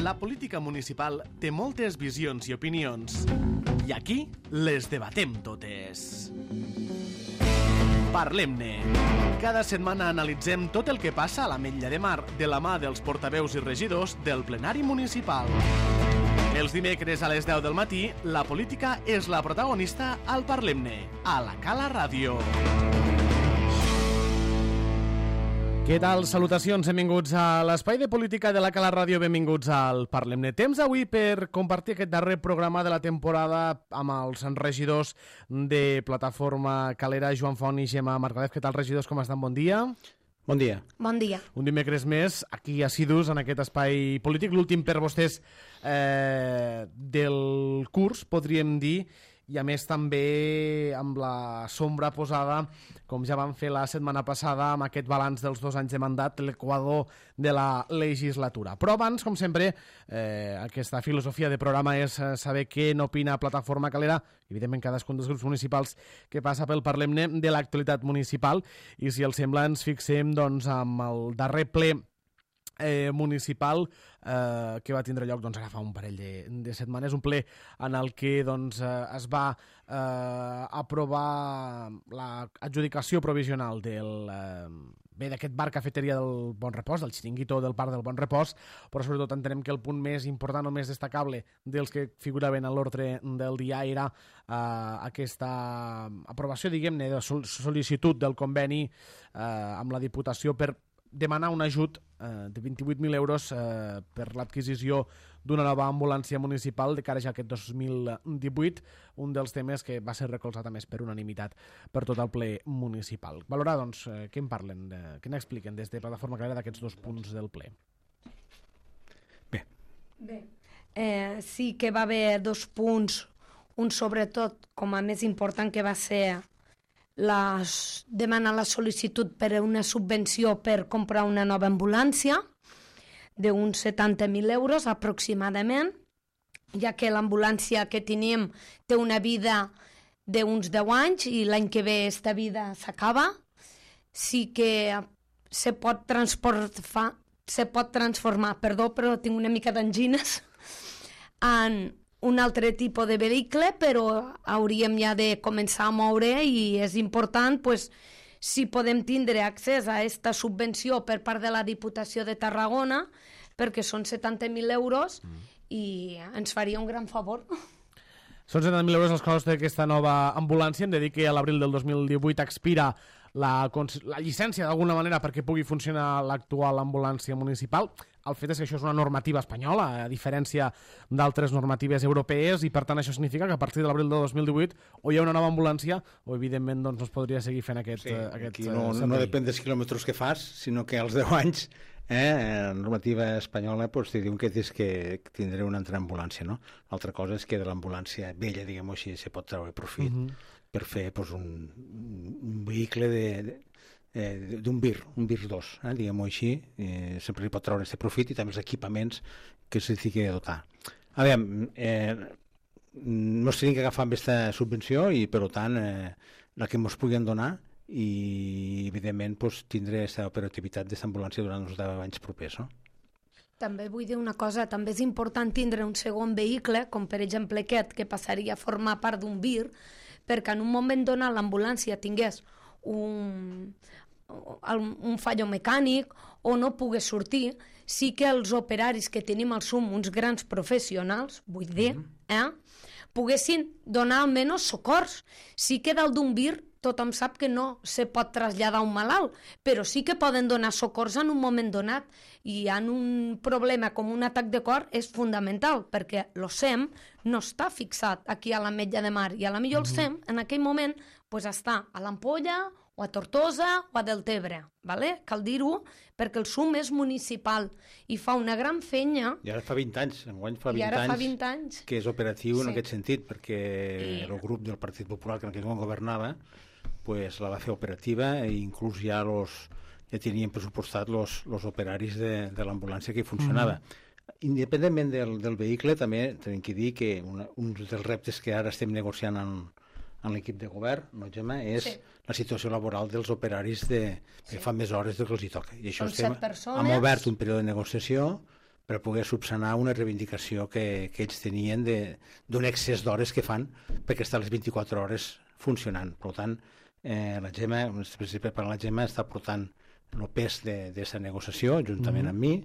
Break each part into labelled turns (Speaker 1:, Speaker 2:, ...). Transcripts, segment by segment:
Speaker 1: La política municipal té moltes visions i opinions. I aquí les debatem totes. Parlem-ne. Cada setmana analitzem tot el que passa a l'Ametlla de Mar de la mà dels portaveus i regidors del plenari municipal. Els dimecres a les 10 del matí, la política és la protagonista al Parlem-ne, a la Cala Ràdio. Què tal? Salutacions, benvinguts a l'Espai de Política de la Cala Ràdio, benvinguts al Parlem-ne. Temps avui per compartir aquest darrer programa de la temporada amb els regidors de Plataforma Calera, Joan Font i Gemma Margalef. Què tal, regidors? Com estan? Bon dia.
Speaker 2: Bon dia.
Speaker 3: Bon dia.
Speaker 1: Un dimecres més, aquí assidus en aquest espai polític, l'últim per vostès del curs, podríem dir, i a més també amb la sombra posada, com ja vam fer la setmana passada, amb aquest balanç dels 2 anys de mandat, l'equador de la legislatura. Però abans, com sempre, aquesta filosofia de programa és saber què n'opina Plataforma Calera, evidentment cadascun dels grups municipals que passa pel Parlem-ne de l'actualitat municipal, i si els sembla ens fixem doncs, amb el darrer ple municipal que va tindre lloc ara fa un parell de setmanes, un ple en el que es va aprovar l'adjudicació provisional d'aquest bar cafeteria del Bon Repòs, del xiringuito del Parc del Bon Repòs, però sobretot entenem que el punt més important o més destacable dels que figuraven a l'ordre del dia era aquesta aprovació, diguem-ne, de sol·licitud del conveni amb la Diputació per demanar un ajut de 28.000 euros per l'adquisició d'una nova ambulància municipal de cara ja a aquest 2018, un dels temes que va ser recolzat a més per unanimitat per tot el ple municipal. Valorar, doncs, què en parlen, què n'expliquen des de Plataforma Calera d'aquests 2 punts del ple?
Speaker 3: Bé. Sí que va haver 2 punts, un sobretot com a més important que va ser demanar la sol·licitud per una subvenció per comprar una nova ambulància d'uns 70.000 euros aproximadament, ja que l'ambulància que tenim té una vida d'uns 10 anys i l'any que ve esta vida s'acaba. Sí que se pot transformar, perdó, però tinc una mica d'angines, en un altre tipus de vehicle, però hauríem ja de començar a moure i és important si podem tindre accés a aquesta subvenció per part de la Diputació de Tarragona, perquè són 70.000 euros i ens faria un gran favor.
Speaker 1: Són 70.000 euros els costs d'aquesta nova ambulància. Hem de dir que a l'abril del 2018 expira la llicència d'alguna manera perquè pugui funcionar l'actual ambulància municipal. El fet és que això és una normativa espanyola, a diferència d'altres normatives europees, i per tant això significa que a partir de l'abril del 2018 o hi ha una nova ambulància o evidentment doncs, no es podria seguir fent aquest
Speaker 2: servei. No depèn dels quilòmetres que fas, sinó que als 10 anys la normativa espanyola te diuen que tens que tindré una altra ambulància, no? L'altra cosa és que de l'ambulància vella, diguem-ho així, se pot treure profit per fer un vehicle d'un VIR, un VIR 2, diguem-ho així, sempre hi pot treure aquest profit i també els equipaments que se tingui de dotar. A veure, no es tenim que agafar amb aquesta subvenció i per tant la que ens puguin donar i evidentment tindré aquesta operativitat d'aquesta ambulància durant els 10 anys propers, no?
Speaker 3: També vull dir una cosa, també és important tindre un segon vehicle, com per exemple aquest, que passaria a formar part d'un VIR, perquè en un moment donat l'ambulància tingués un fallo mecànic o no pogués sortir, sí que els operaris que tenim al SUM, uns grans professionals, vull dir, poguessin donar almenys socors. Sí que dalt d'un VIR tothom sap que no se pot traslladar un malalt, però sí que poden donar socors en un moment donat, i en un problema com un atac de cor és fundamental, perquè el SEM no està fixat aquí a l'Ametlla de Mar, i a la millor el SEM en aquell moment està a l'Ampolla o a Tortosa o a Deltebre, ¿vale? Cal dir-ho, perquè el SUM és municipal i fa una gran feina.
Speaker 2: I ara fa 20 anys, enguany fa 20 anys que és operatiu en aquest sentit, perquè el grup del Partit Popular que en aquell moment governava la va fer operativa i inclús ja tenien pressupostat els operaris de l'ambulància que funcionava. Independentment del vehicle, també tenim que dir que un dels reptes que ara estem negociant en l'equip de govern, no, Gemma, és la situació laboral dels operaris que fan més hores del que els hi toca. I això hem obert un període de negociació per poder subsanar una reivindicació que ells tenien d'un excés d'hores que fan perquè estan les 24 hores funcionant. Per tant, la Gemma, el principi per la Gemma, està portant el pes d'aquesta negociació juntament amb mi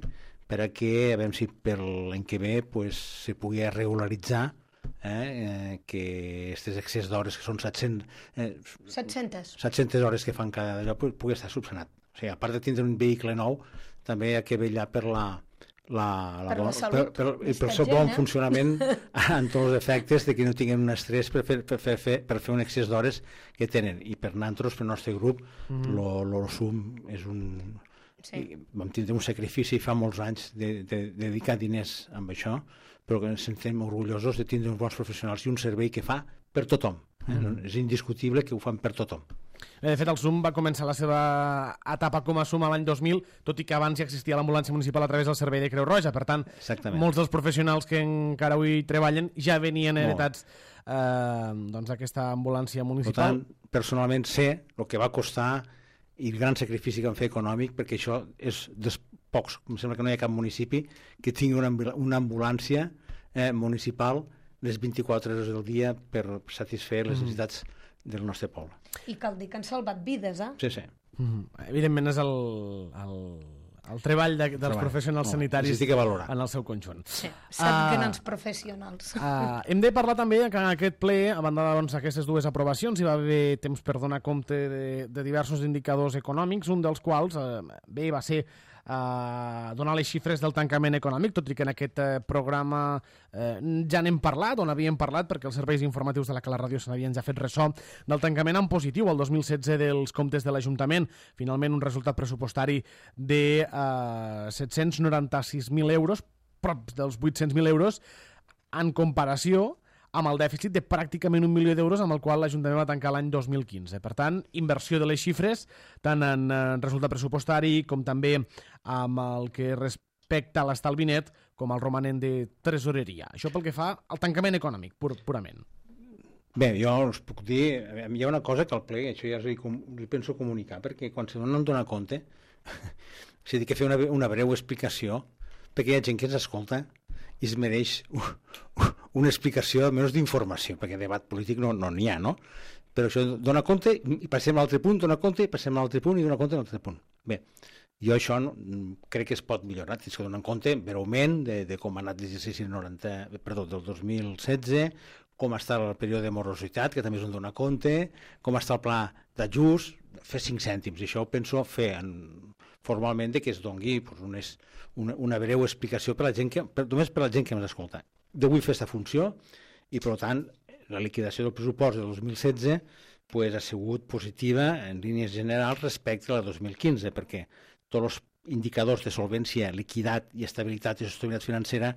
Speaker 2: per a que, a veure si per l'any que ve se pugui regularitzar que aquests excés d'hores, que són 700 hores que fan cada allò, pugui estar subsanat. O sigui, a part de tindre un vehicle nou, també hi ha que vetllar per
Speaker 3: la salut
Speaker 2: pel seu bon funcionament en tots els efectes, de que no tinguin un estrès per fer un excés d'hores que tenen. I per nosaltres, per el nostre grup, l'Osum és un... Sí. Vam tindre un sacrifici fa molts anys de dedicar diners amb això, però que ens sentim orgullosos de tindre uns bons professionals i un servei que fa per tothom. És indiscutible que ho fan per tothom.
Speaker 1: De fet, el SUM va començar la seva etapa com a SUM l'any 2000, tot i que abans ja existia l'ambulància municipal a través del servei de Creu Roja. Per tant, molts dels professionals que encara avui treballen ja venien heretats d'aquesta ambulància municipal.
Speaker 2: Per tant, personalment sé el que va costar i el gran sacrifici que van fer econòmic, perquè això és dels pocs, em sembla que no hi ha cap municipi que tingui una ambulància municipal les 24 hores del dia per satisfer les necessitats del nostre poble.
Speaker 3: I cal dir que han salvat vides,
Speaker 2: Sí, sí.
Speaker 1: Evidentment és el treball dels professionals sanitaris en el seu conjunt.
Speaker 3: Sí, set grans professionals.
Speaker 1: Hem de parlar també que en aquest ple, a banda d'aquestes dues aprovacions, hi va haver temps per donar compte de diversos indicadors econòmics, un dels quals va ser donar les xifres del tancament econòmic, tot i que en aquest programa ja n'hem parlat, on havíem parlat, perquè els serveis informatius de la Cala Ràdio se n'havien ja fet ressò del tancament en positiu el 2016 dels comptes de l'Ajuntament. Finalment, un resultat pressupostari de 796.000 euros, prop dels 800.000 euros, en comparació amb el dèficit de pràcticament 1 milió d'euros amb el qual l'Ajuntament va tancar l'any 2015. Per tant, inversió de les xifres, tant en resultat pressupostari com també amb el que respecta a l'estalvi net com al romanent de tresoreria. Això pel que fa al tancament econòmic, purament.
Speaker 2: Bé, jo us puc dir, hi ha una cosa que al ple, això ja li penso comunicar, perquè quan no em dona compte, és a dir, que fer una breu explicació, perquè hi ha gent que ens escolta i es mereix una explicació, almenys d'informació, perquè debat polític no n'hi ha, no? Però això dona compte i passem a l'altre punt, dona compte i passem a l'altre punt i dona compte a l'altre punt. Bé, jo això crec que es pot millorar, tens que donar compte breument de com ha anat l'exercici del 2016, com està el període de morositat, que també és un donar compte, com està el pla d'ajust, fer 5 cèntims, i això ho penso fer formalment que es doni una breu explicació per la gent només per la gent que ens escolta. Jo vull fer aquesta funció i, per tant, la liquidació del pressupost del 2016 ha sigut positiva en línies generals respecte a la 2015, perquè tots els indicadors de solvència, liquidat i estabilitat i sostenibilitat financera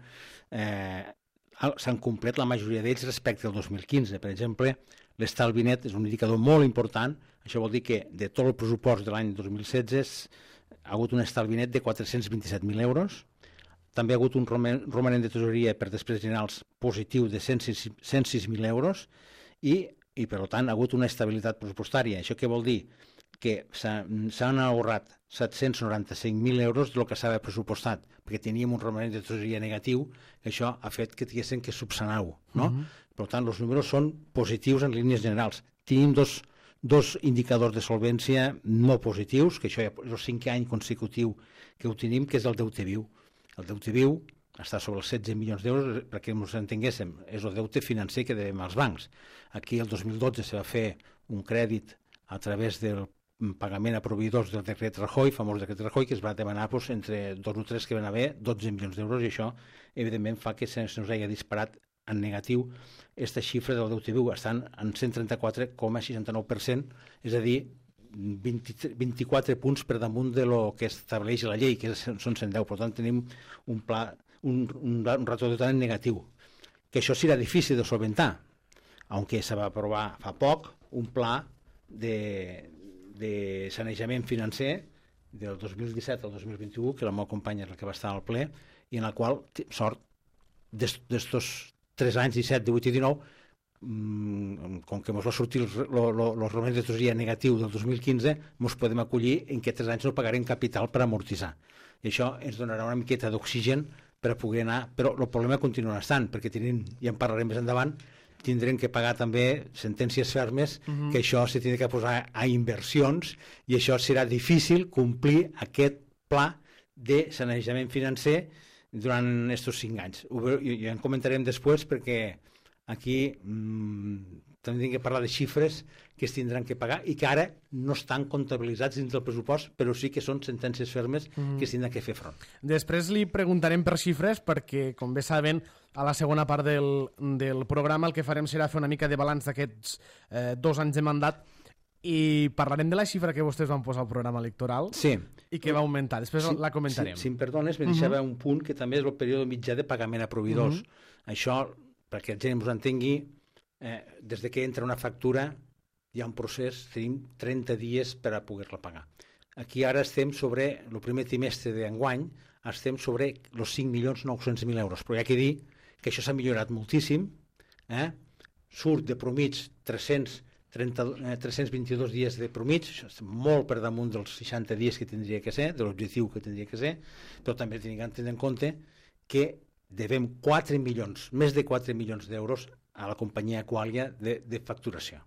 Speaker 2: s'han complert la majoria d'ells respecte al 2015. Per exemple, l'estalvi net és un indicador molt important. Això vol dir que de tot el pressupost de l'any 2016 ha hagut un estalvi net de 427.000 euros. També ha hagut un romanent de tresoreria per despeses generals positiu de 106.000 euros i, per tant, ha hagut una estabilitat pressupostària. Això què vol dir? Que s'han ahorrat 795.000 euros del que s'havia pressupostat, perquè teníem un romanent de tresoreria negatiu, que això ha fet que tinguéssim que subsanar-ho, no? Per tant, els números són positius en línies generals. Tenim dos indicadors de solvència no positius, que això ja és el 5è any consecutiu que ho tenim, que és el deute viu. El deute viu està sobre els 16 milions d'euros, perquè ens entenguéssim, és el deute financer que devem als bancs. Aquí el 2012 se va fer un crèdit a través del pagament a proveïdors del decret Rajoy, famós decret Rajoy, que es va demanar entre 2 o 3 que van haver 12 milions d'euros, i això evidentment fa que se'ns hagi disparat en negatiu. Aquesta xifra del deute viu estan en 134,69%, és a dir, 24 punts per damunt de lo que estableix la llei, que són 110. Per tant, tenim un ratio de deute negatiu, que això serà difícil de solventar, aunque se va aprovar fa poc un pla de sanejament financer del 2017 al 2021, que la meva companya és la que va estar al ple, i en la qual, sort, d'estos 3 anys, 17, 18 i 19, com que ens va sortir el romanent de tresoreria negatiu del 2015, ens podem acollir en que 3 anys no pagarem capital per amortitzar. I això ens donarà una miqueta d'oxigen per a poder anar, però el problema continua estant, perquè ja en parlarem més endavant, tindrem que pagar també sentències fermes, que això se tindrà que posar a inversions, i això serà difícil complir aquest pla de sanejament financer durant aquests 5 anys. Ja en comentarem després, perquè aquí també tinc que parlar de xifres que es tindran que pagar i que ara no estan comptabilitzats dins del pressupost, però sí que són sentències fermes que es tindran que fer front.
Speaker 1: Després li preguntarem per xifres, perquè, com bé saben, a la segona part del programa el que farem serà fer una mica de balanç d'aquests 2 anys de mandat i parlarem de la xifra que vostès van posar al programa electoral i que va augmentar. Després la comentarem.
Speaker 2: Si em perdones, me deixava un punt que també és el període mitjà de pagament a proveïdors. Això, perquè la gent ens entengui, des que entra una factura hi ha un procés, tenim 30 dies per a poder-la pagar. Aquí ara estem sobre, el primer trimestre d'enguany, estem sobre els 5.900.000 euros, però hi ha que dir que això s'ha millorat moltíssim, surt de promig 322 dies de promig, això és molt per damunt dels 60 dies que tindria que ser, de l'objectiu que tindria que ser, però també tenim que tenir en compte que devem 4 milions, més de 4 milions d'euros a la companyia Aqualia de facturació.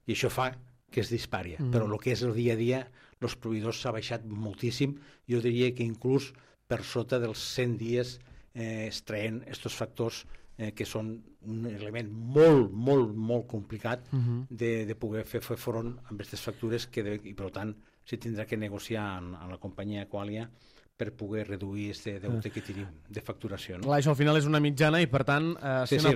Speaker 2: I això fa que es dispari. Però el que és el dia a dia, els proveïdors s'ha baixat moltíssim, jo diria que inclús per sota dels 100 dies es treien aquests factors que són un element molt, molt, molt complicat de poder fer front a aquestes factures i per tant se tindrà que negociar amb la companyia Aqualia per poder reduir aquest deute que tenim de facturació.
Speaker 1: Clar, això al final és una mitjana i per tant si una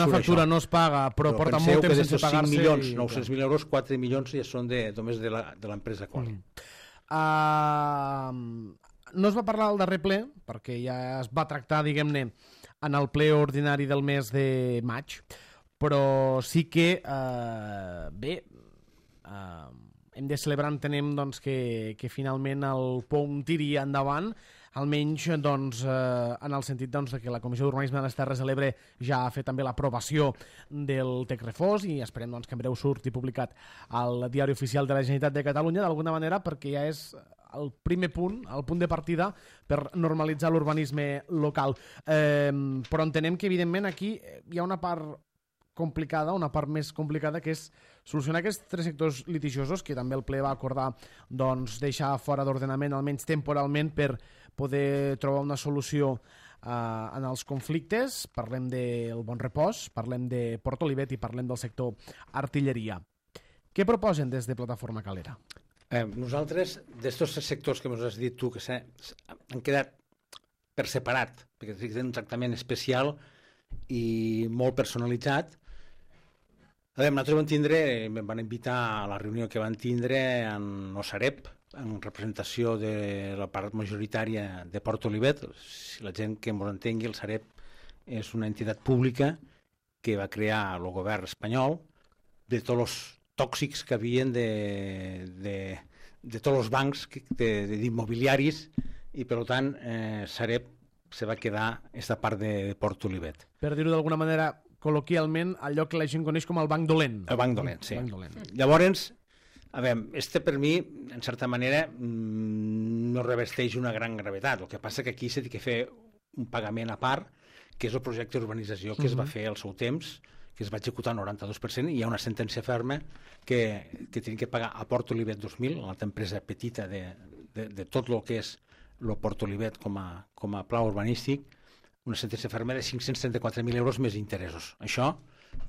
Speaker 1: factura no es paga però porta molt temps sense pagar-se...
Speaker 2: Però penseu que d'aquests 5.900.000 euros, 4 milions ja són només de l'empresa Aqualia.
Speaker 1: No es va parlar al darrer ple, perquè ja es va tractar, diguem-ne, en el ple ordinari del mes de maig, però sí que, hem de celebrar, entenem, doncs, que finalment el POUM tiri endavant, almenys doncs, en el sentit doncs, que la Comissió d'Urbanisme de les Terres de l'Ebre ja ha fet també l'aprovació del TEC Refós i esperem doncs, que en breu surti publicat al Diari Oficial de la Generalitat de Catalunya, d'alguna manera, perquè ja és el primer punt, el punt de partida per normalitzar l'urbanisme local. Però entenem que, evidentment, aquí hi ha una part complicada, una part més complicada, que és solucionar aquests 3 sectors litigiosos que també el ple va acordar doncs, deixar fora d'ordenament, almenys temporalment, per poder trobar una solució en els conflictes. Parlem del Bon Repòs, parlem de Port Olivet i parlem del sector artilleria. Què proposen des de Plataforma Calera?
Speaker 2: Nosaltres, d'estos sectors que ens has dit tu, que han quedat per separat, perquè tenen un tractament especial i molt personalitzat. Nosaltres van invitar a la reunió que van tindre en el Sareb, en representació de la part majoritària de Port Olivet. Si la gent que ens entengui, el Sareb és una entitat pública que va crear el govern espanyol de tots els tòxics que havien de tots els bancs d'immobiliaris i per tant Sareb se va quedar aquesta part de Port Olivet.
Speaker 1: Per dir-ho d'alguna manera col·loquialment, allò que la gent coneix com el banc dolent.
Speaker 2: El banc dolent, sí. Llavors, per mi, en certa manera, no revesteix una gran gravetat. El que passa que aquí s'ha de fer un pagament a part, que és el projecte d'urbanització que es va fer al seu temps, que es va executar al 92%, i hi ha una sentència ferma que tenim que pagar a Port Olivet 2000, l'altra empresa petita de tot el que és el Port Olivet com a pla urbanístic, una sentència ferma de 534.000 euros més interessos. Això,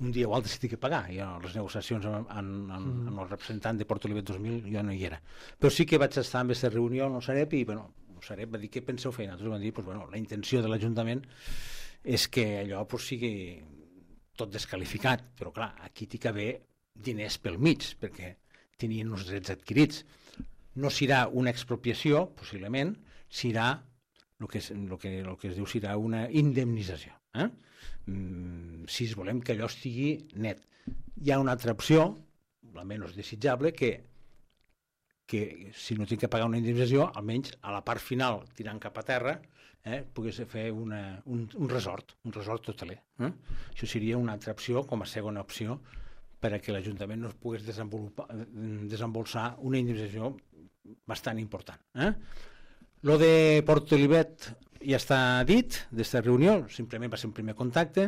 Speaker 2: un dia o altre s'ha de pagar. I a les negociacions amb el representant de Port Olivet 2000 jo no hi era. Però sí que vaig estar en aquesta reunió amb el Sareb i el Sareb va dir què penseu fer. Nosaltres vam dir la intenció de l'Ajuntament és que allò sigui tot descalificat, però clar, aquí hi ha d'haver diners pel mig, perquè tenien uns drets adquirits. No serà una expropiació, possiblement, serà el que es diu serà una indemnització. Si volem que allò estigui net. Hi ha una altra opció, la menys desitjable, que si no tinc que pagar una indemnització, almenys a la part final, tirant cap a terra, pogués fer un resort hoteler. Això seria una altra opció, com a segona opció, perquè l'Ajuntament no pogués desembolsar una indemnització bastant important. Lo de Portolivet ja està dit, d'esta reunió, simplement va ser un primer contacte.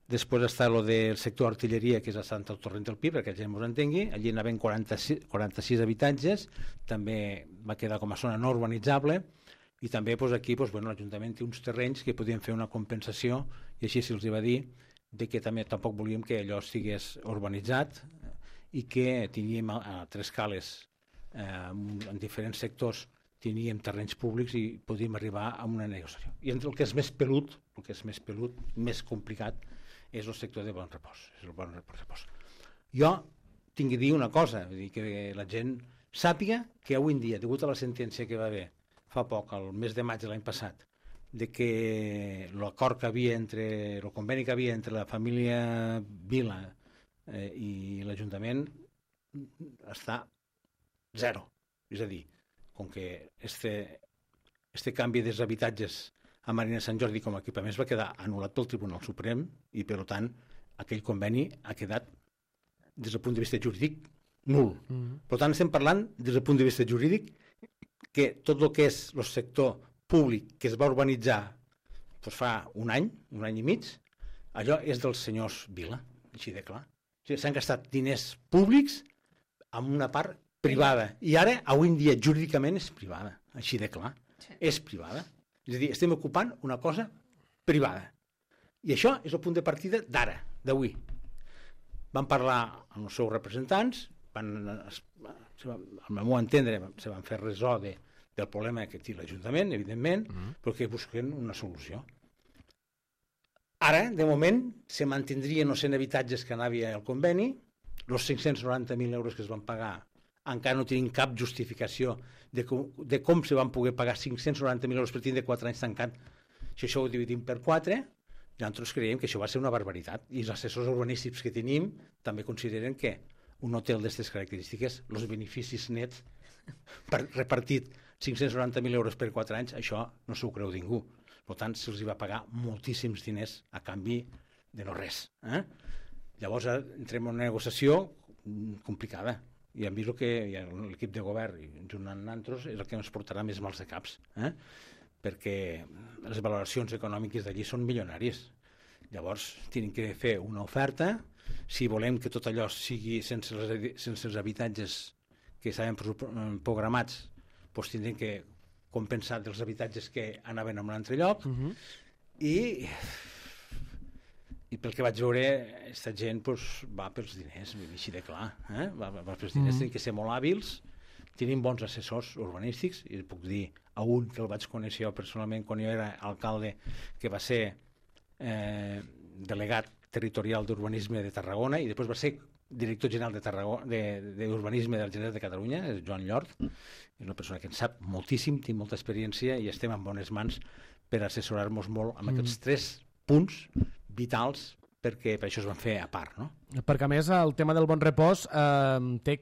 Speaker 2: Després està lo del sector artilleria, que és a Sant Torrent del Pi, perquè la gent ens entengui. Allí anaven 46 habitatges, també va quedar com a zona no urbanitzable, i també aquí l'Ajuntament té uns terrenys que podien fer una compensació, i així se'ls va dir que també tampoc volíem que allò estigués urbanitzat i que teníem a tres cales en diferents sectors teníem terrenys públics i podíem arribar a una negociació. I el que és més pelut, més complicat, és el sector de Bon Repòs. Jo tinc que dir una cosa, que la gent sàpiga que avui en dia, degut a la sentència que va haver fa poc, el mes de maig de l'any passat, de que l'acord que havia el conveni que havia entre la família Vila i l'Ajuntament està zero. És a dir, com que este canvi dels habitatges a Marina Sant Jordi com a equipaments va quedar anul·lat pel Tribunal Suprem i, per tant, aquell conveni ha quedat, des del punt de vista jurídic, nul. Per tant, estem parlant, des del punt de vista jurídic, que tot el que és el sector públic que es va urbanitzar fa un any i mig, allò és dels senyors Vila, així de clar. S'han gastat diners públics en una part privada. I ara, avui en dia, jurídicament és privada, així de clar. Sí. És privada. És a dir, estem ocupant una cosa privada. I això és el punt de partida d'ara, d'avui. Van parlar amb els seus representants, al meu entendre, se van fer ressò del problema que té l'Ajuntament, evidentment, però que busquen una solució. Ara, de moment, se mantindrien els 100 habitatges que anava al conveni, els 590.000 euros que es van pagar encara no tenim cap justificació de com se van poder pagar 590.000 euros per tindre 4 anys tancat. Si això ho dividim per 4, nosaltres creiem que això va ser una barbaritat. I els assessors urbanístics que tenim també consideren que un hotel d'aquestes característiques, els beneficis nets repartit 590.000 euros per 4 anys, això no s'ho creu ningú. Per tant, se'ls va pagar moltíssims diners a canvi de no res. Llavors entrem en una negociació complicada. I hem vist que l'equip de govern, junt amb nosaltres, és el que ens portarà més mals de caps, perquè les valoracions econòmiques d'allí són milionàries. Llavors, tenen que fer una oferta. Si volem que tot allò sigui sense els habitatges que estaven programats, doncs tindrem que compensar dels habitatges que anaven a un altre lloc. I pel que vaig veure, aquesta gent va pels diners, així de clar. Va pels diners, tenen que ser molt hàbils, tenen bons assessors urbanístics, i puc dir a un que el vaig conèixer jo personalment quan jo era alcalde, que va ser delegat territorial d'urbanisme de Tarragona, i després va ser director general d'urbanisme de la Generalitat de Catalunya, és Joan Llort, és una persona que en sap moltíssim, té molta experiència, i estem en bones mans per assessorar-nos molt amb aquests 3 punts vitals, perquè per això es van fer a part, no?
Speaker 1: Perquè, a més, el tema del Bon Repòs té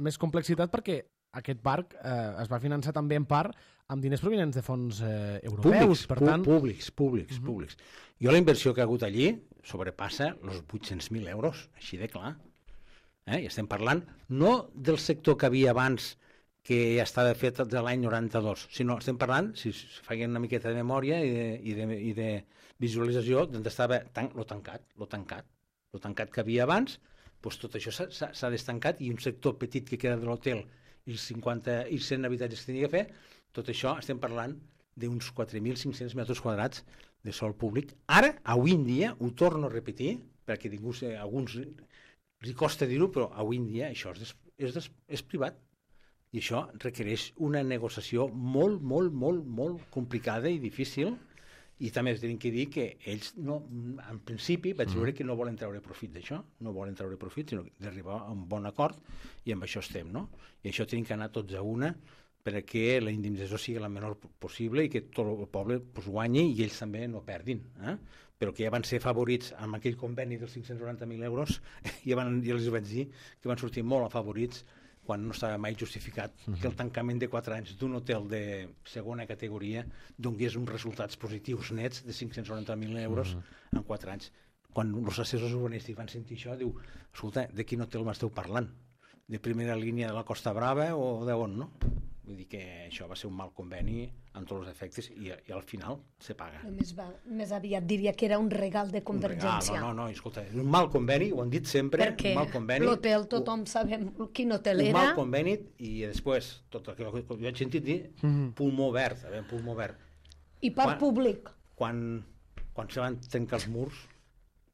Speaker 1: més complexitat perquè aquest parc es va finançar també en part amb diners provenents de fons europeus.
Speaker 2: Públics. Jo la inversió que ha hagut allí sobrepassa els 800.000 euros, així de clar. I estem parlant no del sector que havia abans, que ja estava fet de l'any 92, sinó estem parlant, si feien una miqueta de memòria i de visualització, d'on estava lo tancat que havia abans, doncs tot això s'ha destancat, i un sector petit que queda de l'hotel i 100 habitatges que tenia que fer, tot això estem parlant d'uns 4.500 metres quadrats de sòl públic. Ara, avui en dia, ho torno a repetir, perquè a alguns els costa dir-ho, però avui en dia això és privat. I això requereix una negociació molt, molt, molt, molt complicada i difícil, i també tenim que dir que ells, en principi, vaig veure que no volen treure profit d'això, sinó d'arribar a un bon acord, i amb això estem, no? I això tenim que anar tots a una perquè la indemnització sigui la menor possible i que tot el poble guanyi i ells també no perdin. Però que ja van ser favorits amb aquell conveni dels 590.000 euros, ja els vaig dir que van sortir molt afavorits quan no estava mai justificat que el tancament de 4 anys d'un hotel de segona categoria donés uns resultats positius nets de 590.000 euros en 4 anys. Quan els assessors urbanístics van sentir això, diu, escolta, de quin hotel m'esteu parlant? De primera línia de la Costa Brava o d'on, no? Vull dir que això va ser un mal conveni amb tots els efectes i al final se paga.
Speaker 3: Més aviat diria que era un regal de Convergència.
Speaker 2: No, escolta, és un mal conveni, ho han dit sempre,
Speaker 3: perquè
Speaker 2: un mal conveni.
Speaker 3: L'hotel tothom sabem quin hotel era.
Speaker 2: Un mal conveni i després, tot el que jo he sentit dir, pulmó verd, pulmó verd.
Speaker 3: I parc públic.
Speaker 2: Quan se van trencar els murs,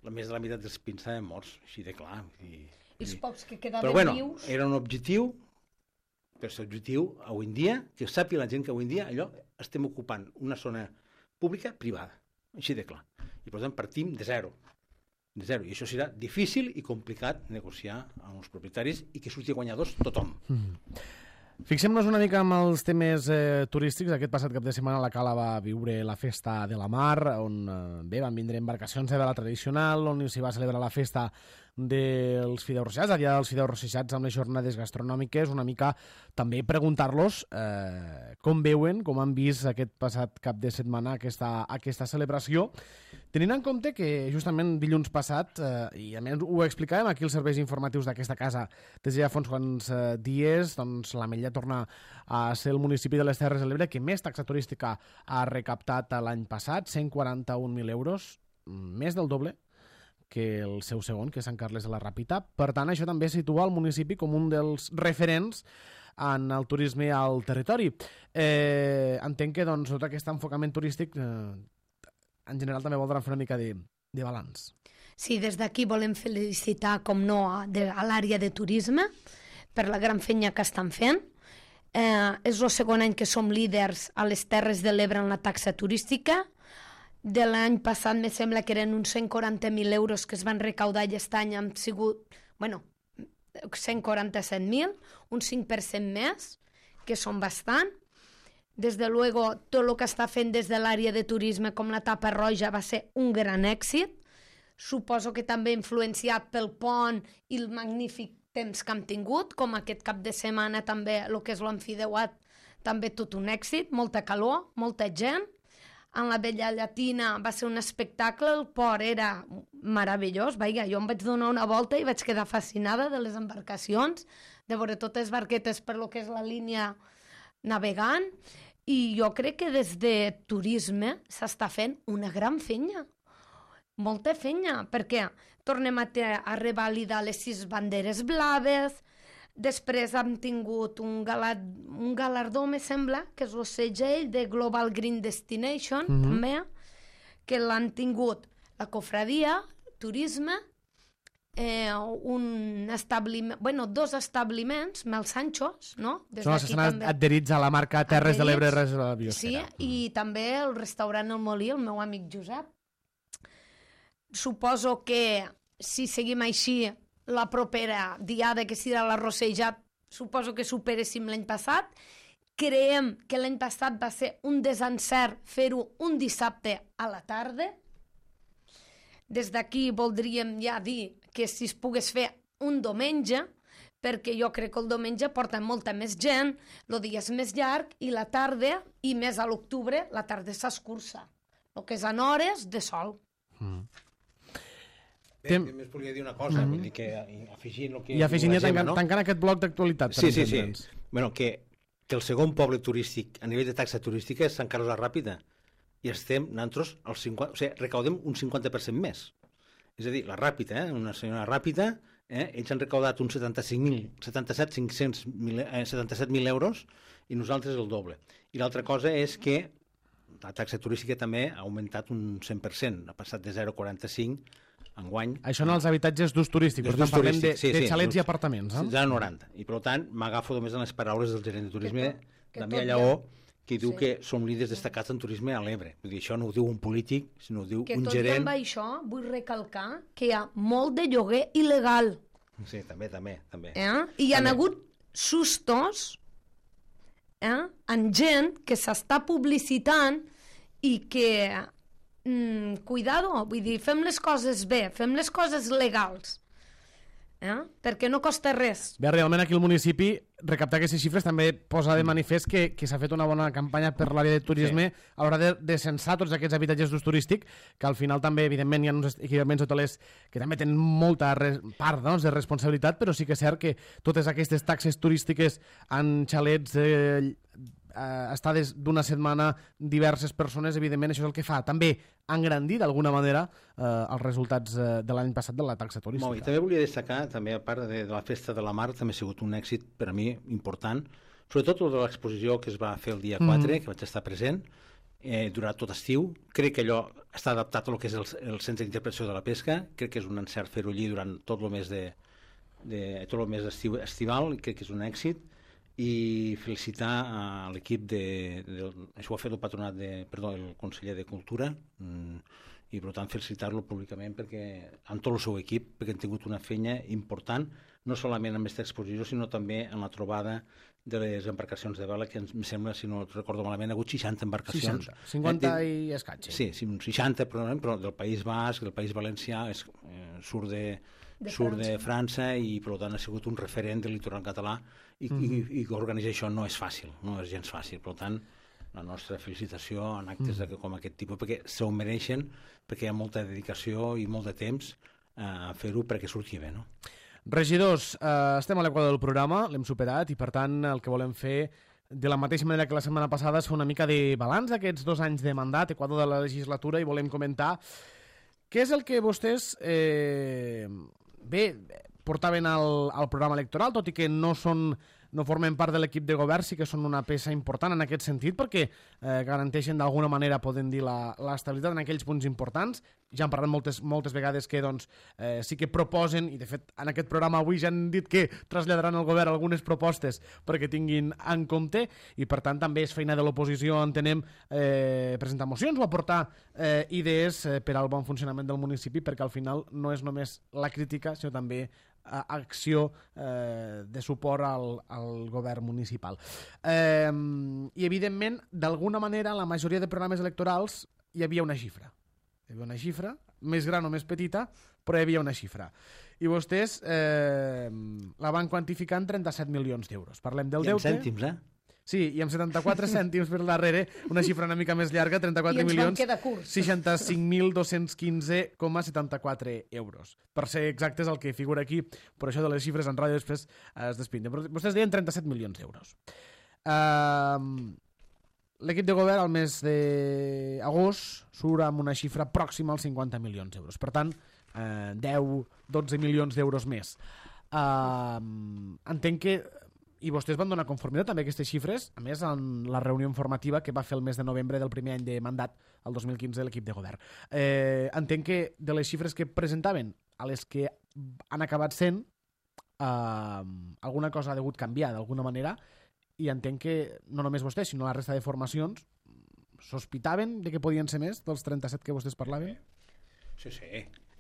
Speaker 2: la més de la meitat dels pins estaven morts, així de clar.
Speaker 3: I els pocs que quedaven
Speaker 2: però bueno,
Speaker 3: vius...
Speaker 2: era un objectiu, però és objectiu avui en dia, que sàpiga la gent que avui en dia allò estem ocupant una zona pública privada, així de clar. I per tant partim de zero. I això serà difícil i complicat negociar amb els propietaris i que surti guanyadors tothom.
Speaker 1: Fixem-nos una mica amb els temes turístics. Aquest passat cap de setmana la Cala va viure la festa de la mar, on van vindre embarcacions de vela tradicional, on s'hi va celebrar la festa dels fideus rosejats, el dia dels fideus rosejats amb les jornades gastronòmiques, una mica també preguntar-los com veuen, com han vist aquest passat cap de setmana aquesta celebració, tenint en compte que justament dilluns passat, i a més ho explicàvem aquí els serveis informatius d'aquesta casa des de ja fa uns quants dies, doncs l'Ametlla torna a ser el municipi de les Terres de l'Ebre que més taxa turística ha recaptat l'any passat, 141.000 euros, més del doble que el seu segon, que és Sant Carles de la Ràpita. Per tant, això també situa el municipi com un dels referents en el turisme al territori. Entenc que doncs, tot aquest enfocament turístic en general també voldran fer una mica de balanç.
Speaker 3: Sí, des d'aquí volem felicitar, com no, a l'àrea de turisme per la gran feina que estan fent. És el segon any que som líders a les Terres de l'Ebre en la taxa turística. De l'any passat me sembla que eren uns 140.000 euros que es van recaudar i aquest any han sigut, 147.000, un 5% més, que són bastant. Des de luego, tot el que està fent des de l'àrea de turisme com la Tapa Roja va ser un gran èxit. Suposo que també influenciat pel pont i el magnífic temps que hem tingut, com aquest cap de setmana també el que és l'Amfideuat, també tot un èxit, molta calor, molta gent. En la Vella Llatina va ser un espectacle, el port era meravellós, jo em vaig donar una volta i vaig quedar fascinada de les embarcacions, de veure totes les barquetes per lo que és la línia navegant, i jo crec que des de turisme s'està fent una gran feina, molta feina, perquè tornem a revalidar les 6 banderes blaves. Després hem tingut un galardó, me sembla, que és el segell de Global Green Destination, també, que l'han tingut la cofradia, turisme, dos establiments, Mel Sanchos, no?
Speaker 1: Són els que estan adherits a la marca Terres de l'Ebre Reserva
Speaker 3: Sí,
Speaker 1: Biosfera.
Speaker 3: i també el restaurant El Molí, el meu amic Josep. Suposo que si seguim així, la propera diada, que serà la Rossejat, suposo que superéssim l'any passat. Creiem que l'any passat va ser un desencert fer-ho un dissabte a la tarda. Des d'aquí voldríem ja dir que si es pogués fer un diumenge, perquè jo crec que el diumenge porta molta més gent, el dia és més llarg i la tarda, i més a l'octubre, la tarda s'escurça. El que és en hores de sol.
Speaker 2: Només volia dir una cosa, vull dir que afegint el que...
Speaker 1: I afegint ja tancant aquest bloc d'actualitat.
Speaker 2: Sí. Bueno, que el segon poble turístic a nivell de taxa turística és Sant Carles de la Ràpita, i estem nosaltres al 50%, o sigui, recaudem un 50% més. És a dir, la Ràpita, una senyora Ràpita, ells han recaudat uns 77.000 euros i nosaltres el doble. I l'altra cosa és que la taxa turística també ha augmentat un 100%, ha passat de 0,45 enguany.
Speaker 1: Això en els habitatges d'ús turístic, però parlem de xalets i apartaments.
Speaker 2: 0,90. I per tant, m'agafo només en les paraules del gerent de turisme, Damià Lleó, que diu que som líders destacats en turisme a l'Ebre. Vull dir, això no ho diu un polític, sinó ho diu un gerent...
Speaker 3: Que tot amb això vull recalcar que hi ha molt de lloguer il·legal.
Speaker 2: Sí, també.
Speaker 3: I hi ha hagut sustos en gent que s'està publicitant i que... cuidado, vull dir, fem les coses bé, fem les coses legals. perquè no costa res.
Speaker 1: Bé, realment aquí el municipi recaptar aquestes xifres també posa de manifest que s'ha fet una bona campanya per l'àrea de turisme a l'hora de censar tots aquests habitatges d'ús turístic, que al final també, evidentment, hi ha uns equipaments hotelers que també tenen molta part de responsabilitat, però sí que és cert que totes aquestes taxes turístiques en xalets estades d'una setmana diverses persones, evidentment això és el que fa també engrandir d'alguna manera els resultats de l'any passat de la taxa turística.
Speaker 2: I també volia destacar, també a part de la Festa de la Mar, també ha sigut un èxit per a mi important, sobretot de l'exposició que es va fer el dia 4, que vaig estar present, durant tot estiu. Crec que allò està adaptat al que és el centre d'interpretació de la pesca, crec que és un encert fer-ho allí durant tot el mes estival, i crec que és un èxit. I felicitar a l'equip això ho ha fet el patronat el conseller de Cultura, i per tant felicitar-lo públicament amb tot el seu equip, perquè han tingut una feina important, no solament amb aquesta exposició, sinó també en la trobada de les embarcacions de vela, que em sembla, si no recordo malament, ha hagut 60 embarcacions.
Speaker 1: 50 i escaig.
Speaker 2: Sí, 60, però del País Basc, del País Valencià, surt de França, i per tant ha sigut un referent del litoral català, i organitzar això no és fàcil, no és gens fàcil. Per tant, la nostra felicitació en actes com aquest tipus, perquè s'ho mereixen, perquè hi ha molta dedicació i molt de temps a fer-ho perquè surti bé, no?
Speaker 1: Regidors, estem a l'equador del programa, l'hem superat, i per tant el que volem fer, de la mateixa manera que la setmana passada, és fer una mica de balanç d'aquests 2 anys de mandat, equador de la legislatura, i volem comentar què és el que vostès portaven al programa electoral, tot i que no formen part de l'equip de govern, sí que són una peça important en aquest sentit, perquè garanteixen d'alguna manera, podem dir, l'estabilitat en aquells punts importants. Ja han parlat moltes vegades que sí que proposen, i de fet en aquest programa avui ja han dit que traslladaran al govern algunes propostes perquè tinguin en compte, i per tant també és feina de l'oposició, entenem, presentar mocions o aportar idees per al bon funcionament del municipi, perquè al final no és només la crítica, sinó també acció de suport al govern municipal. I evidentment, d'alguna manera, en la majoria de programes electorals hi havia una xifra. Hi havia una xifra, més gran o més petita, però hi havia una xifra. I vostès la van quantificar en 37 milions d'euros. Parlem del deute.
Speaker 2: I en cèntims,
Speaker 1: Sí, i amb 74 cèntims per darrere, una xifra una mica més llarga, 34 milions, 65.215,74 euros. Per ser exactes, el que figura aquí, per això de les xifres en ràdio després es despinten. Però vostès deien 37 milions d'euros. L'equip de govern al mes d'agost surt amb una xifra pròxima als 50 milions d'euros. Per tant, 10-12 milions d'euros més. Entenc que i vostès van donar conformitat amb aquestes xifres, a més en la reunió informativa que va fer el mes de novembre del primer any de mandat, el 2015, de l'equip de govern. Entenc que de les xifres que presentaven a les que han acabat sent, alguna cosa ha degut canviar d'alguna manera, i entenc que no només vostès, sinó la resta de formacions sospitaven de que podien ser més dels 37 que vostès parlaven?
Speaker 2: Sí,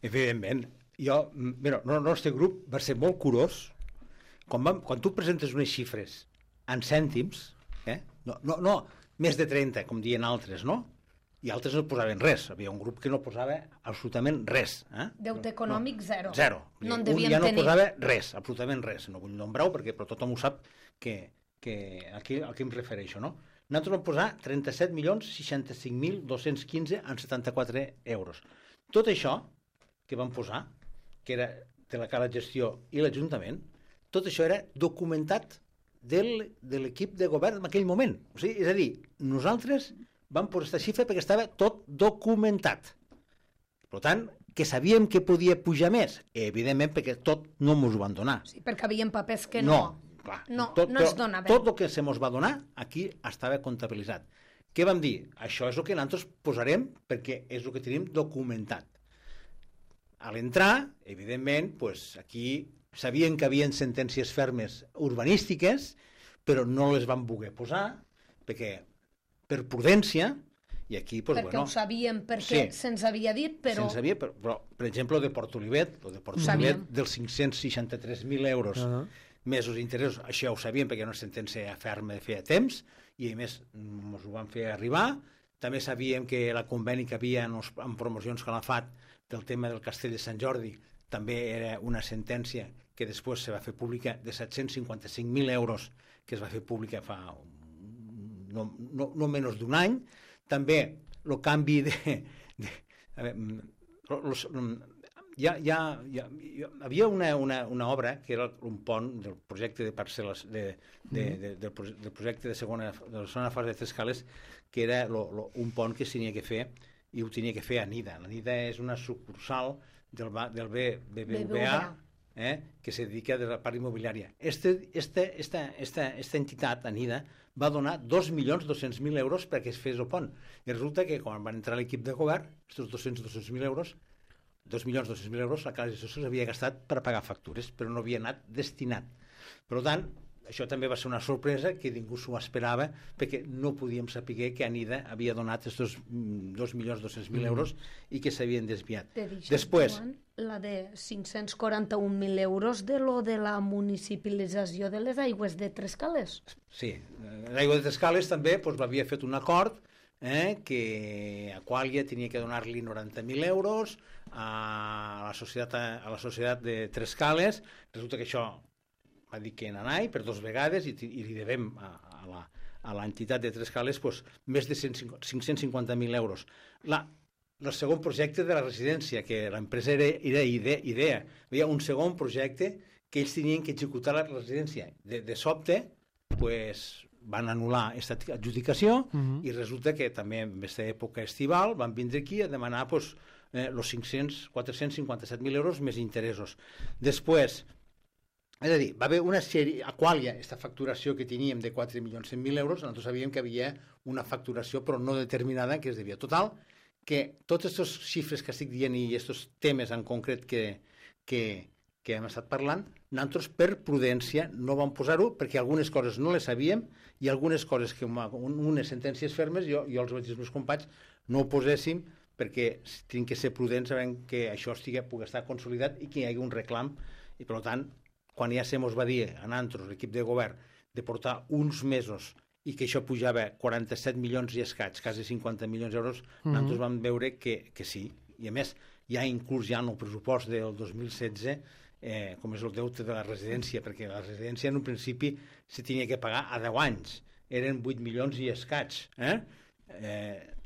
Speaker 2: evidentment. El nostre grup va ser molt curós. Quan tu presentes unes xifres en cèntims, no més de 30, com diuen altres, no? I altres no posaven res. Havia un grup que no posava absolutament res.
Speaker 3: Deute econòmic, zero.
Speaker 2: Zero.
Speaker 3: No en
Speaker 2: devien
Speaker 3: tenir.
Speaker 2: No posava res, absolutament res. No vull nombrar-ho, però tothom ho sap a què em refereixo, no? Nosaltres vam posar 37.065.215,74 euros. Tot això que vam posar, que era de la cara de gestió i l'Ajuntament, tot això era documentat de l'equip de govern en aquell moment. O sigui, és a dir, nosaltres vam posar aquesta xifra perquè estava tot documentat. Per tant, que sabíem que podia pujar més, evidentment, perquè tot no ens ho van donar.
Speaker 3: Sí, perquè havien papers que no es donaven.
Speaker 2: Tot el que se mos va donar aquí estava comptabilitzat. Què vam dir? Això és el que nosaltres posarem perquè és el que tenim documentat. A l'entrar, evidentment, aquí sabien que havien sentències fermes urbanístiques, però no les van voler posar per prudència, i aquí...
Speaker 3: Perquè ho sabíem, perquè se'ns havia dit, però...
Speaker 2: Se'ns havia, però, per exemple, el de Port Olivet, dels 563.000 euros mesos d'interessos, això ho sabíem perquè era una sentència ferma de feia temps, i a més ens ho van fer arribar. També sabíem que la conveni que havia en promocions que l'ha fet del tema del Castell de Sant Jordi també era una sentència que després se va fer pública, de 755.000 euros, que es va fer pública fa no menys d'un any. També el canvi hi havia una obra que era un pont del projecte de parcel·les del projecte de la segona fase de Trescales, que era un pont que s'havia que fer, i ho tenia que fer ANIDA. ANIDA és una sucursal del BBVA, que se dedica a la part immobiliària. Esta entitat, ANIDA, va donar 2.200.000 euros perquè es fes el pont. I resulta que quan van entrar a l'equip de govern, aquests 200.000 euros, 2.200.000 euros, la Casa de Socials havia gastat per pagar factures, però no havia anat destinat. Per tant, això també va ser una sorpresa que ningú s'ho esperava, perquè no podíem saber que ANIDA havia donat aquests 2.200.000 euros i que s'havien desviat. Després,
Speaker 3: la de 541.000 euros de la municipalització de les aigües de Trescales.
Speaker 2: Sí, l'aigua de Trescales també l'havia fet un acord que Aqualia tenia que donar-li 90.000 euros a la societat de Trescales. Resulta que això va dir que n'anai per 2 vegades i li devem a l'entitat de Trescales més de 550.000 euros. El segon projecte de la residència, que l'empresa era IDEA. Hi havia un segon projecte que ells tenien que executar la residència. De sobte, van anul·lar aquesta adjudicació i resulta que també en aquesta època estival van vindre aquí a demanar els 457.000 euros més interessos. Després, és a dir, va haver una sèrie, Aqualia, aquesta facturació que teníem de 4.100.000 euros, nosaltres sabíem que havia una facturació però no determinada que es devia. Total, que totes aquestes xifres que estic dient i aquests temes en concret que hem estat parlant, nosaltres per prudència no vam posar-ho perquè algunes coses no les sabíem i algunes coses que unes sentències fermes jo els vaig dir als meus companys no ho poséssim perquè tinc que ser prudents sabent que això pugui estar consolidat i que hi hagi un reclam i per tant quan ja se mos va dir a nosaltres, l'equip de govern, de portar uns mesos i que això pujava 47 milions i escaig, quasi 50 milions d'euros, nosaltres vam veure que sí. I a més, ja inclús ja en el pressupost del 2016, com és el deute de la residència, perquè la residència en un principi se tenia que pagar a 10 anys. Eren 8 milions i escaig.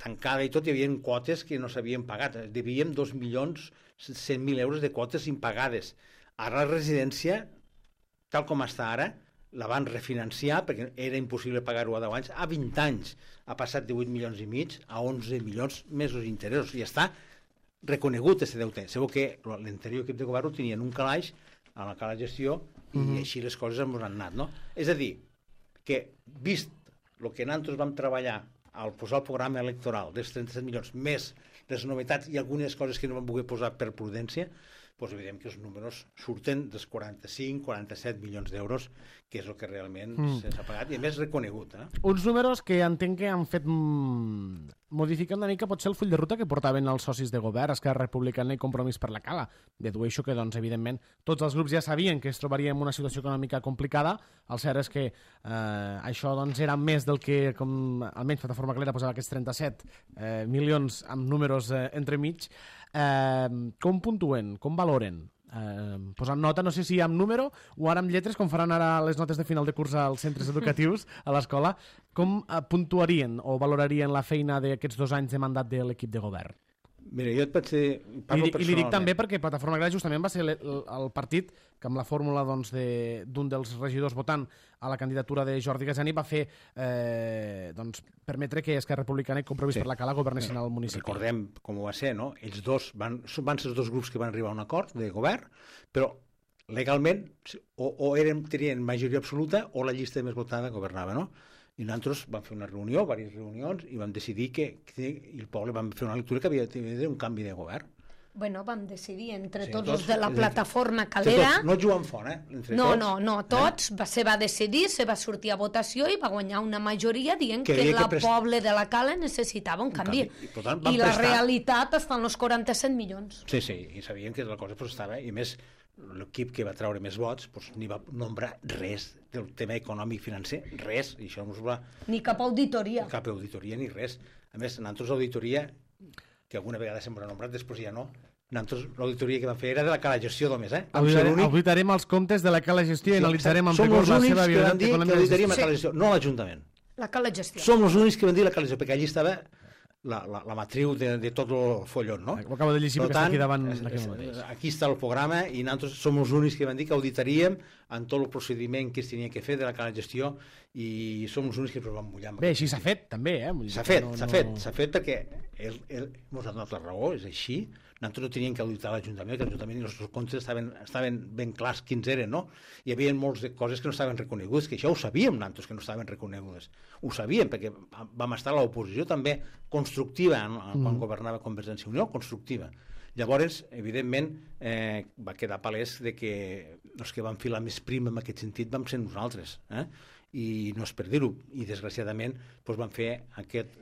Speaker 2: Tancada i tot, hi havia quotes que no s'havien pagat. Devíem 2.100.000 euros de quotes impagades. Ara la residència, tal com està ara, la van refinanciar perquè era impossible pagar-ho a 10 anys, a 20 anys ha passat de 8 milions i mig a 11 milions més els interessos i està reconegut aquest deute. Sabeu que l'anterior equip de govern ho tenia en un calaix, a la cala gestió, i així les coses ens han anat, no? És a dir, que vist el que nosaltres vam treballar al posar el programa electoral dels 37 milions, més les novetats i algunes coses que no vam poder posar per prudència, doncs veiem que els números surten dels 45-47 milions d'euros, que és el que realment s'ha pagat, i a més reconegut.
Speaker 1: Uns números que entenc que han fet modificar una mica potser el full de ruta que portaven els socis de govern, Esquerra Republicana i Compromís per la Cala. Dedueixo que, doncs, evidentment, tots els grups ja sabien que es trobaria en una situació econòmica complicada. El cert és que això doncs, era més del que, com almenys Plataforma Calera posava aquests 37 milions amb números entremig. Com puntuen, com valoren? Posant nota, no sé si amb número o ara amb lletres, com faran ara les notes de final de curs als centres educatius, a l'escola, com puntuarien o valorarien la feina d'aquests 2 anys de mandat de l'equip de govern?
Speaker 2: Mira, jo et vaig dir...
Speaker 1: I li dic també perquè Plataforma Calera justament va ser el partit que amb la fórmula d'un dels regidors votant a la candidatura de Jordi Gasani va fer permetre que Esquerra Republicana i Compromís per la Cala governessin al municipi.
Speaker 2: Recordem com ho va ser, no? Ells dos van ser els 2 grups que van arribar a un acord de govern, però legalment o tenien majoria absoluta o la llista més votada governava, no? I nosaltres vam fer una reunió, diverses reunions, i vam decidir que el poble vam fer una lectura que havia d'haver un canvi de govern.
Speaker 3: Bueno, vam decidir entre tots els de la plataforma Calera...
Speaker 2: No jugant fora,
Speaker 3: No, tots se va decidir, se va sortir a votació i va guanyar una majoria dient que el poble de la Cala necessitava un canvi. I la realitat està en els 47 milions.
Speaker 2: Sí, i sabien que la cosa estava... I més, l'equip que va treure més vots ni va nombrar res del tema econòmic financer, res. I això
Speaker 3: ni cap auditoria.
Speaker 2: Cap auditoria ni res. A més, nosaltres l'auditoria, que alguna vegada sempre ha nombrat, després ja no, Nosaltres l'auditoria que vam fer era de la cala gestió només,
Speaker 1: Auditarem els comptes de la cala gestió i analitzarem amb rigor la seva
Speaker 2: viabilitat econòmica. Som els únics que van dir que auditaríem la cala gestió, no l'Ajuntament.
Speaker 3: La cala gestió.
Speaker 2: Som els únics que van dir la cala gestió, perquè allí estava la matriu de tot el follon, no?
Speaker 1: Ho acabo de llegir perquè està aquí davant d'aquest mateix.
Speaker 2: Aquí està el programa i nosaltres som els únics que van dir que auditaríem en tot el procediment que es tenia que fer de la cala gestió i som els únics que ens vam mullar.
Speaker 1: Bé, així s'ha fet, també,
Speaker 2: S'ha fet perquè ens ha donat la raó, és així. Nosaltres no teníem que auditar l'Ajuntament, que l'Ajuntament i els nostres comptes estaven ben clars quins eren, no? Hi havia moltes coses que no estaven reconegudes, que això ho sabíem nosaltres, que no estaven reconegudes. Ho sabíem, perquè vam estar a l'oposició també constructiva, quan governava Convergència i Unió, constructiva. Llavors, evidentment, va quedar palès que els que vam filar més prim en aquest sentit vam ser nosaltres, i no és per dir-ho, i desgraciadament vam fer aquest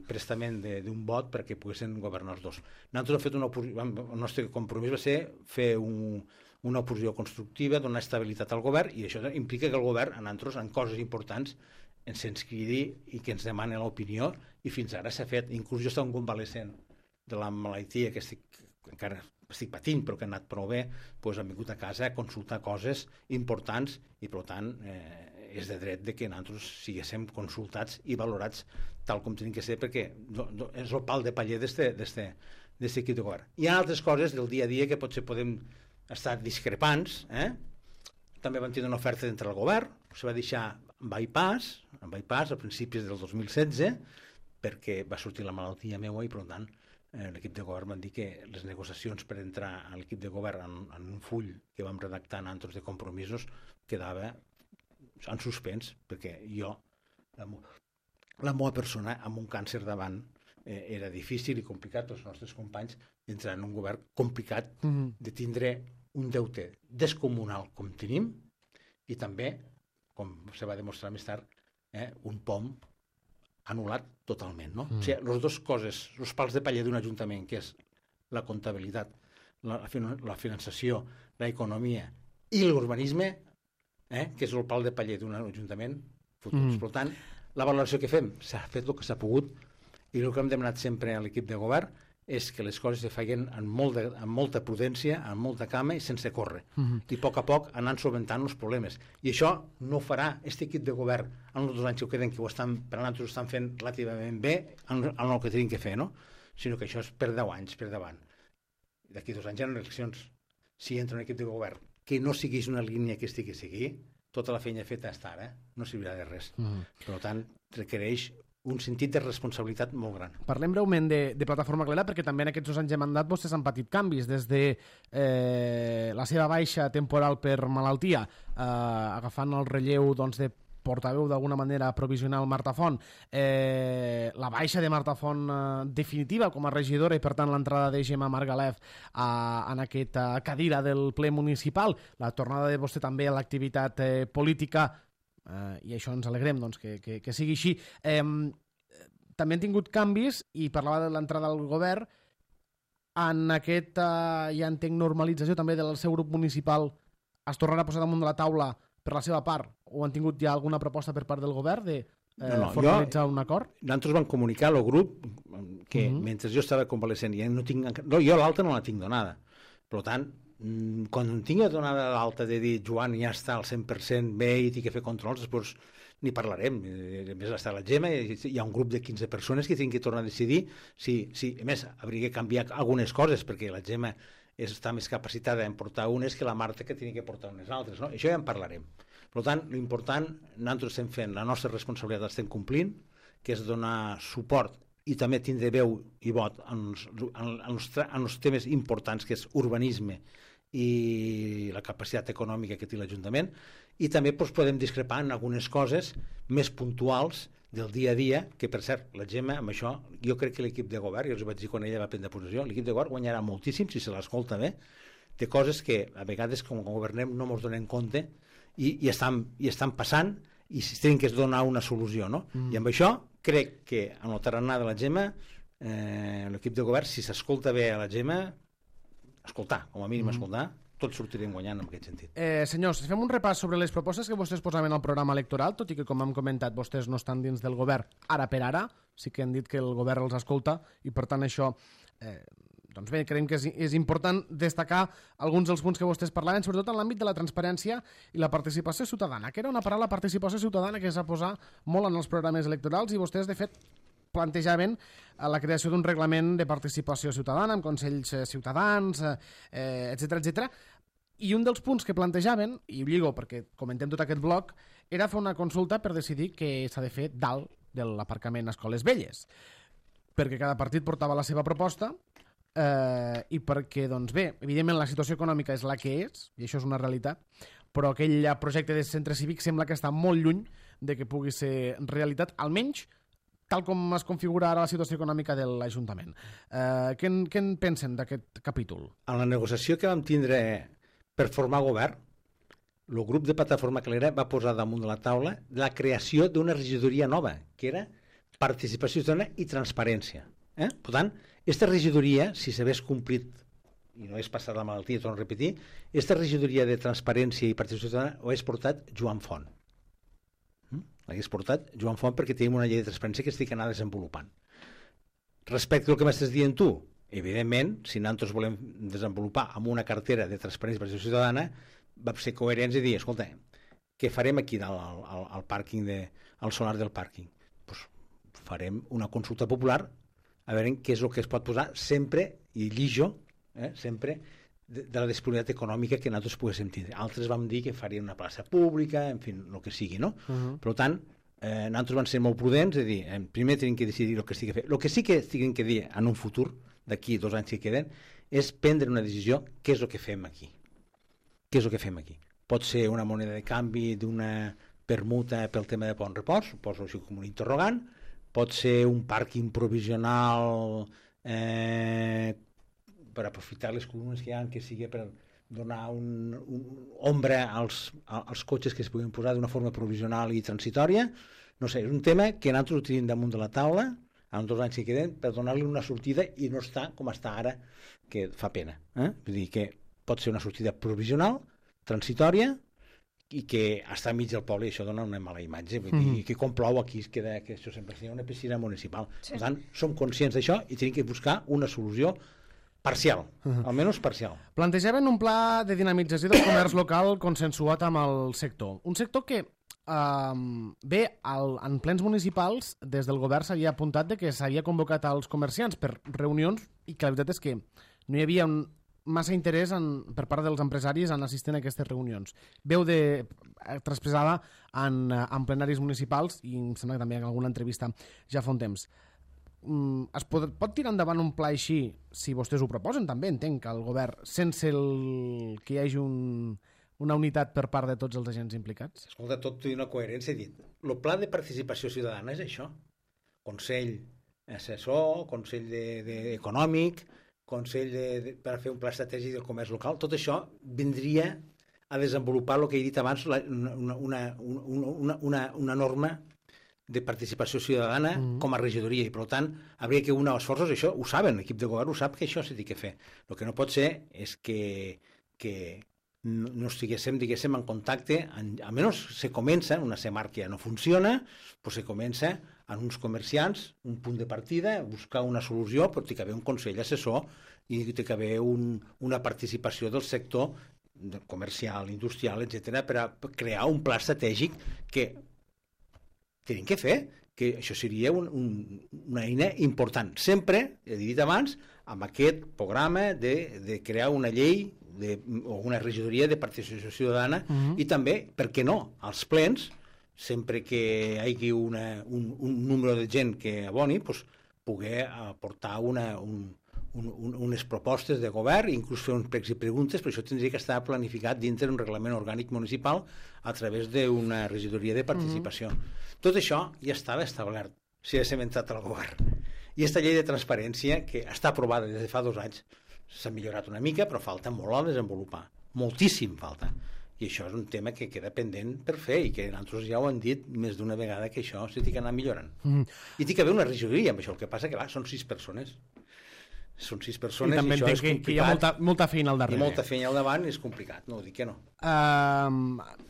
Speaker 2: prestament d'un vot perquè poguessin governar els dos. Nosaltres el nostre compromís va ser fer una oposició constructiva, donar estabilitat al govern, i això implica que el govern, en coses importants, ens cridi i que ens demani l'opinió, i fins ara s'ha fet. Inclús jo estava un convalescent de la malaltia que encara estic patint, però que ha anat prou bé, hem vingut a casa a consultar coses importants i, per tant, és de dret que nosaltres siguéssim consultats i valorats tal com tenim que ser, perquè és el pal de paller d'aquest equip de govern. Hi ha altres coses del dia a dia que potser podem estar discrepants. També vam tenir una oferta d'entrar al govern, se va deixar en bypass a principis del 2016, perquè va sortir la malaltia meua i, per tant, l'equip de govern van dir que les negociacions per entrar a l'equip de govern en un full que vam redactar nosaltres de compromisos quedava en suspens, perquè jo, la meva persona, amb un càncer davant, era difícil i complicat pels nostres companys entrar en un govern complicat de tindre un deute descomunal com tenim i també, com se va demostrar més tard, un POM anul·lat totalment, no? O sigui, les dues coses, els pals de paller d'un ajuntament, que és la comptabilitat, la finançació, l'economia i l'urbanisme, que és el pal de paller d'un ajuntament futurs. Per tant, la valoració que fem s'ha fet el que s'ha pogut i el que hem demanat sempre a l'equip de govern és que les coses se facin amb molta prudència, amb molta calma i sense córrer. I a poc anant solventant els problemes. I això no ho farà aquest equip de govern en els 2 anys que queden, que per a nosaltres ho estan fent relativament bé en el que tenim que fer, no? Sinó que això és per 10 anys, per davant. D'aquí 2 anys hi ha eleccions. Si entra un equip de govern que no segueix una línia que estigui a seguir, tota la feina feta està ara, no servirà de res. Per tant, requereix un sentit de responsabilitat molt gran.
Speaker 1: Parlem breument de Plataforma Clara, perquè també en aquests 2 anys de mandat vostès han patit canvis, des de la seva baixa temporal per malaltia, agafant el relleu de portaveu d'alguna manera provisional Marta Font, la baixa de Marta Font definitiva com a regidora i per tant l'entrada de Gemma Margalef en aquesta cadira del ple municipal, la tornada de vostè també a l'activitat política, i això ens alegrem que sigui així. També han tingut canvis i parlava de l'entrada al govern en aquesta, ja entenc, normalització també del seu grup municipal. Es tornarà a posar damunt de la taula per la seva part, o han tingut ja alguna proposta per part del govern de formalitzar un acord?
Speaker 2: Nosaltres vam comunicar al grup que mentre jo estava convalescent jo l'alta no la tinc donada. Per tant, quan tingui donada l'alta de dir Joan ja està al 100% bé i té que fer controls, després n'hi parlarem. A més, està la Gemma, hi ha un grup de 15 persones que tenen que tornar a decidir si a més, hauria de canviar algunes coses, perquè la Gemma està més capacitada en portar unes que la Marta, que tenia que portar unes altres, no? Això ja en parlarem. Per tant, l'important, nosaltres estem fent la nostra responsabilitat, l'estem complint, que és donar suport i també tindre veu i vot en els temes importants, que és urbanisme i la capacitat econòmica que té l'Ajuntament, i també podem discrepar en algunes coses més puntuals del dia a dia, que per cert, la Gemma, amb això, jo crec que l'equip de govern, jo els vaig dir quan ella va prendre posició, l'equip de govern guanyarà moltíssim, si se l'escolta bé, de coses que a vegades com a governem no ens donem compte i estan passant i si tenen que donar una solució, no? I amb això crec que en el tarannà de la Gemma, l'equip de govern, si s'escolta bé a la Gemma, escoltar, com a mínim escoltar, tots sortirem guanyant en aquest sentit.
Speaker 1: Senyors, fem un repàs sobre les propostes que vostès posaven al programa electoral, tot i que, com hem comentat, vostès no estan dins del govern ara per ara, sí que han dit que el govern els escolta i, per tant, això doncs bé, creiem que és important destacar alguns dels punts que vostès parlaven, sobretot en l'àmbit de la transparència i la participació ciutadana, que era una paraula, participació ciutadana, que s'ha posat molt en els programes electorals, i vostès, de fet, plantejaven la creació d'un reglament de participació ciutadana amb consells ciutadans, etc. I un dels punts que plantejaven, i ho lligo perquè comentem tot aquest bloc, era fer una consulta per decidir què s'ha de fer dalt de l'aparcament a Escoles Velles, perquè cada partit portava la seva proposta, i perquè, doncs bé, evidentment la situació econòmica és la que és, i això és una realitat, però aquell projecte de centre cívic sembla que està molt lluny de que pugui ser realitat, almenys tal com es configura ara la situació econòmica de l'Ajuntament. Què en pensen d'aquest capítol?
Speaker 2: En la negociació que vam tindre per formar govern, el grup de Plataforma Calera va posar damunt de la taula la creació d'una regidoria nova, que era participació ciutadana i transparència. Per tant, aquesta regidoria, si s'hagués complit, i no és passar la malaltia, torno a repetir, aquesta regidoria de transparència i participació ciutadana ho hagués portat Joan Font. L'hagués portat Joan Font perquè tenim una llei de transparència que estic anar desenvolupant. Respecte al que m'estàs dient tu, evidentment, si nosaltres volem desenvolupar amb una cartera de transparència i participació ciutadana, vam ser coherents i dir, escolta, què farem aquí dalt al pàrquing, al solar del pàrquing? Pues farem una consulta popular a veure què és el que es pot posar sempre, i llijo, sempre, de la disponibilitat econòmica que nosaltres poguéssim tindre. Altres vam dir que farien una plaça pública, en fi, el que sigui, no? Per tant, nosaltres vam ser molt prudents, és a dir, primer tenim que decidir el que estigui a fer. El que sí que estigui que dir en un futur, d'aquí 2 anys que queden, és prendre una decisió, què és el que fem aquí? Què és el que fem aquí? Pot ser una moneda de canvi d'una permuta pel tema de Pont Repòs, poso així com un interrogant, pot ser un pàrquing provisional per aprofitar les columnes que hi ha, que sigui per donar ombra als cotxes que es puguin posar d'una forma provisional i transitòria. No sé, és un tema que nosaltres ho tenim damunt de la taula, en 2 anys que queden, per donar-li una sortida i no està com està ara, que fa pena. Vull dir que pot ser una sortida provisional, transitòria, i que està enmig del poble, i això dona una mala imatge. Vull dir que com plou aquí es queda que això sempre seria una piscina municipal. Sí. Per tant, som conscients d'això i tenim que buscar una solució parcial, almenys parcial.
Speaker 1: Plantejaven un pla de dinamització del comerç local consensuat amb el sector. Un sector que bé, en plens municipals, des del govern s'havia apuntat de que s'havia convocat als comerciants per reunions i que la veritat és que no hi havia massa interès per part dels empresaris en assistir a aquestes reunions. Veu traspassada en plenaris municipals i em sembla que també en alguna entrevista ja fa un temps. Es pot tirar endavant un pla així si vostès ho proposen també, entenc, al govern, sense que hi hagi una unitat per part de tots els agents implicats?
Speaker 2: Escolta, tot té una coherència. He dit, el pla de participació ciutadana és això. Consell assessor, consell econòmic, consell per fer un pla estratègic del comerç local. Tot això vindria a desenvolupar el que he dit abans, una norma de participació ciutadana com a regidoria, i per tant hauria que unir esforços. Això ho saben, l'equip de govern ho sap, que això s'ha de fer. El que no pot ser és que no estiguéssim, diguéssim, en contacte, almenys se comença, una CEMAR que ja no funciona, però se comença en uns comerciants, un punt de partida, buscar una solució, però té que haver un consell assessor i té que haver una participació del sector comercial, industrial, etc., per a crear un pla estratègic que tenim que fer, que això seria una eina important. Sempre, he dit abans, amb aquest programa de crear una llei o una regidoria de participació ciutadana i també, per què no, als plens, sempre que hi hagi un número de gent que aboni, poder aportar unes propostes de govern, inclús fer uns pregs i preguntes, però això tindria que estar planificat dintre d'un reglament orgànic municipal a través d'una regidoria de participació. Tot això ja estava establert, si haguéssim entrat al govern. I aquesta llei de transparència, que està aprovada des de fa 2 anys, s'ha millorat una mica, però falta molt a desenvolupar. Moltíssim falta. I això és un tema que queda pendent per fer i que nosaltres ja ho hem dit més d'una vegada, que això s'ha d'anar millorant. I té que haver una regidoria amb això. El que passa que són 6 persones. Són 6 persones i això és complicat.
Speaker 1: Que hi ha molta feina al darrere.
Speaker 2: I molta feina al davant és complicat, no ho dic que no.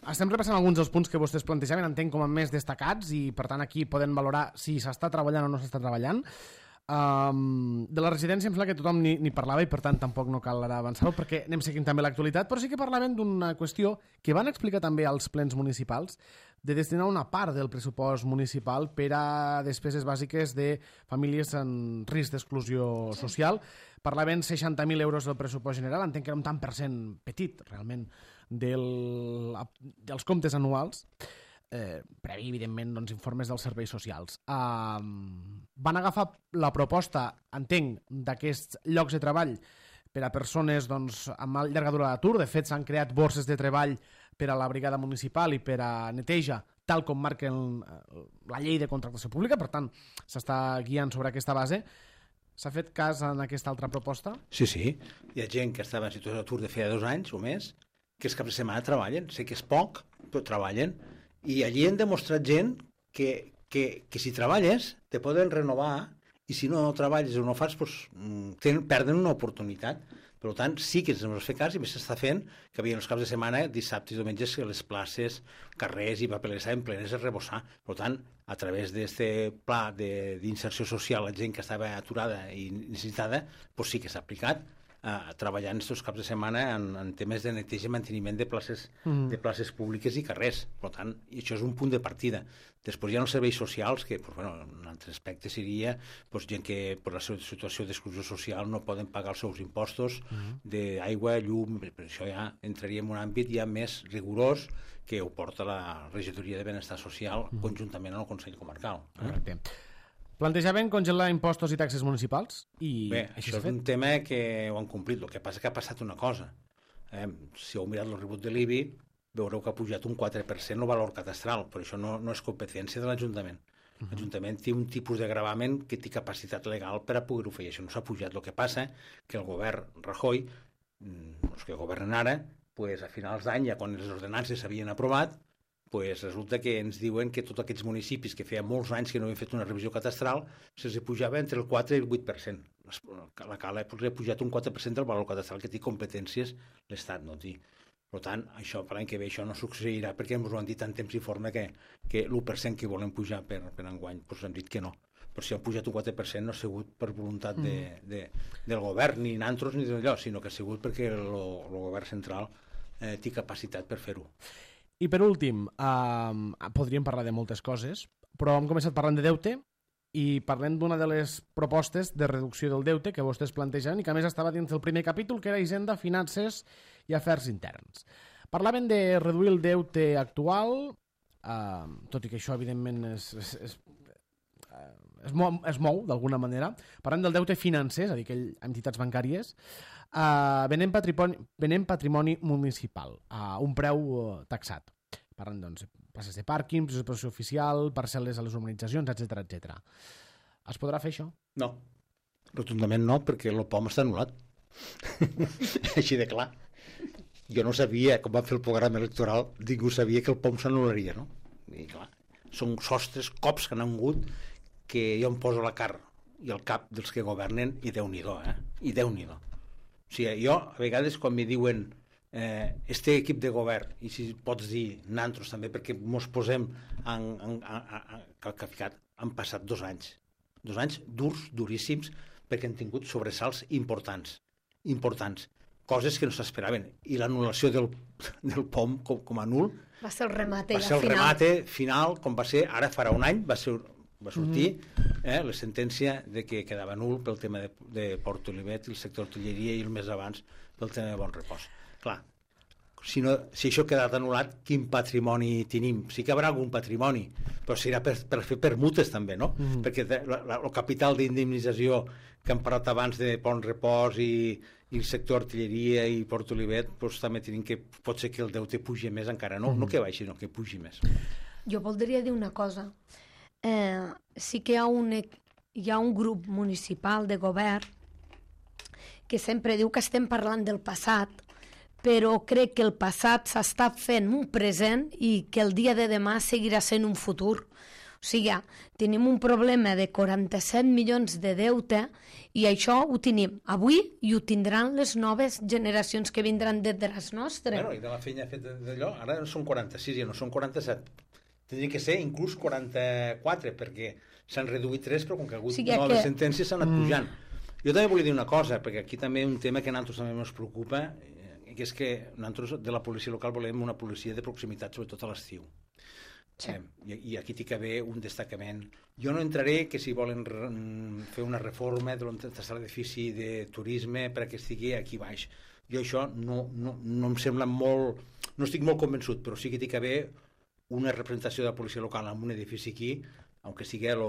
Speaker 1: Estem repassant alguns dels punts que vostès plantejaven, entenc com a més destacats, i per tant aquí poden valorar si s'està treballant o no s'està treballant. De la residència em sembla que tothom ni parlava i per tant tampoc no cal ara avançar-ho perquè anem seguint també l'actualitat, però sí que parlaven d'una qüestió que van explicar també als plens municipals de destinar una part del pressupost municipal per a despeses bàsiques de famílies en risc d'exclusió social. Parlaven 60.000 euros del pressupost general, entenc que era un tant per cent petit realment dels comptes anuals, previ, evidentment, doncs, informes dels serveis socials. Van agafar la proposta, entenc, d'aquests llocs de treball per a persones doncs, amb llarga durada d'atur. De fet, s'han creat borses de treball per a la brigada municipal i per a neteja, tal com marca la llei de contractació pública. Per tant, s'està guiant sobre aquesta base. S'ha fet cas en aquesta altra proposta?
Speaker 2: Sí. Hi ha gent que estava en situació d'atur de feia 2 anys o més, que els caps de setmana treballen. Sé que és poc, però treballen. I allí han demostrat gent que si treballes te poden renovar i si no treballes o no fas, doncs, perden una oportunitat. Per tant, sí que ens hem de fer cas i més s'està fent que havia els caps de setmana, dissabtes i diumenges, que les places, carrers i papeleres estaven plenes de rebossar. Per tant, a través d'aquest pla d'inserció social a gent que estava aturada i necessitada, doncs sí que s'ha aplicat treballant aquests caps de setmana en temes de neteja i manteniment de places públiques i carrers. Per tant, i això és un punt de partida. Després hi ha els serveis socials, que un altre aspecte seria gent que per la seva situació d'exclusió social no poden pagar els seus impostos d'aigua, llum, per això ja entraria en un àmbit ja més rigorós que ho porta la Regidoria de Benestar Social conjuntament amb el Consell Comarcal.
Speaker 1: Correcte. Plantejaven congelar impostos i taxes municipals?
Speaker 2: Bé, això és un tema que ho han complit. El que passa és que ha passat una cosa. Si heu mirat el rebut de l'IBI, veureu que ha pujat un 4% el valor catastral, però això no és competència de l'Ajuntament. L'Ajuntament té un tipus de gravament que té capacitat legal per a poder-ho fer. Això no s'ha pujat. El que passa que el govern Rajoy, els que governen ara, a finals d'any, ja quan les ordenances s'havien aprovat, resulta que ens diuen que tots aquests municipis que feia molts anys que no havien fet una revisió catastral se'ls pujava entre el 4 i el 8%. La Cala ha pujat un 4% del valor catastral que té competències l'Estat, no té. Per tant, això per l'any que ve això no succeirà perquè ens ho han dit en temps informe que l'1% que volen pujar per enguany, doncs han dit que no. Però si han pujat un 4% no ha sigut per voluntat del govern, ni nantros ni d'allò, sinó que ha sigut perquè el govern central té capacitat per fer-ho.
Speaker 1: I per últim, podríem parlar de moltes coses, però hem començat parlant de deute i parlem d'una de les propostes de reducció del deute que vostès plantegen i que a més estava dins del primer capítol, que era Hisenda, Finances i Afers Interns. Parlaven de reduir el deute actual, tot i que això evidentment es mou d'alguna manera. Parlem del deute financer, és a dir, entitats bancàries, venent patrimoni municipal a un preu taxat. Parlen, doncs, places de pàrquing, pisos de protecció oficial, parcel·les a les urbanitzacions, etc. Es podrà fer això?
Speaker 2: No, rotundament no, perquè el POM està anul·lat. Així de clar. Jo no sabia, com van fer el programa electoral, ningú sabia que el POM s'anul·laria, no? I clar, són sostres, cops que han hagut, que jo em poso la cara i el cap dels que governen i Déu-n'hi-do, I Déu-n'hi-do. O sigui, jo, a vegades, quan me diuen este equip de govern, i si pots dir nantros també, perquè mos posem han passat 2 anys. 2 anys durs, duríssims, perquè han tingut sobresalts importants. Coses que no s'esperaven. I l'anul·lació del POM com a nul
Speaker 3: va ser el remate
Speaker 2: final, com va ser ara farà un any, va sortir la sentència de que quedava nul pel tema de Port Olivet i el sector artilleria i el més abans pel tema de Bon Repòs. Clar, si això ha quedat anul·lat, quin patrimoni tenim? Sí que hi haurà algun patrimoni, però serà per fer permutes també, no? Perquè el capital d'indemnització que hem parlat abans de Bon Repòs i el sector artilleria i Port Olivet, doncs també tenim que pot ser que el deute pugi més encara, no que baixi, sinó que pugi més.
Speaker 3: Jo voldria dir una cosa. Sí que hi ha un grup municipal de govern que sempre diu que estem parlant del passat, però crec que el passat s'està fent un present i que el dia de demà seguirà sent un futur. O sigui, tenim un problema de 47 milions de deute i això ho tenim avui i ho tindran les noves generacions que vindran detrás nostre.
Speaker 2: I de la feina feta d'allò, ara són 46 i no són 47. Tindria que ser inclús 44, perquè s'han reduït 3, però com que ha hagut
Speaker 3: noves
Speaker 2: sentències s'han anat pujant. Jo també volia dir una cosa, perquè aquí també un tema que a nosaltres també ens preocupa, que és que nosaltres de la policia local volem una policia de proximitat, sobretot a l'estiu. Sí. I aquí té que haver un destacament. Jo no entraré que si volen fer una reforma de l'edifici de turisme perquè estigui aquí baix. Jo això no em sembla molt... No estic molt convençut, però sí que té que haver una representació de la policia local en un edifici aquí, aunque sigui el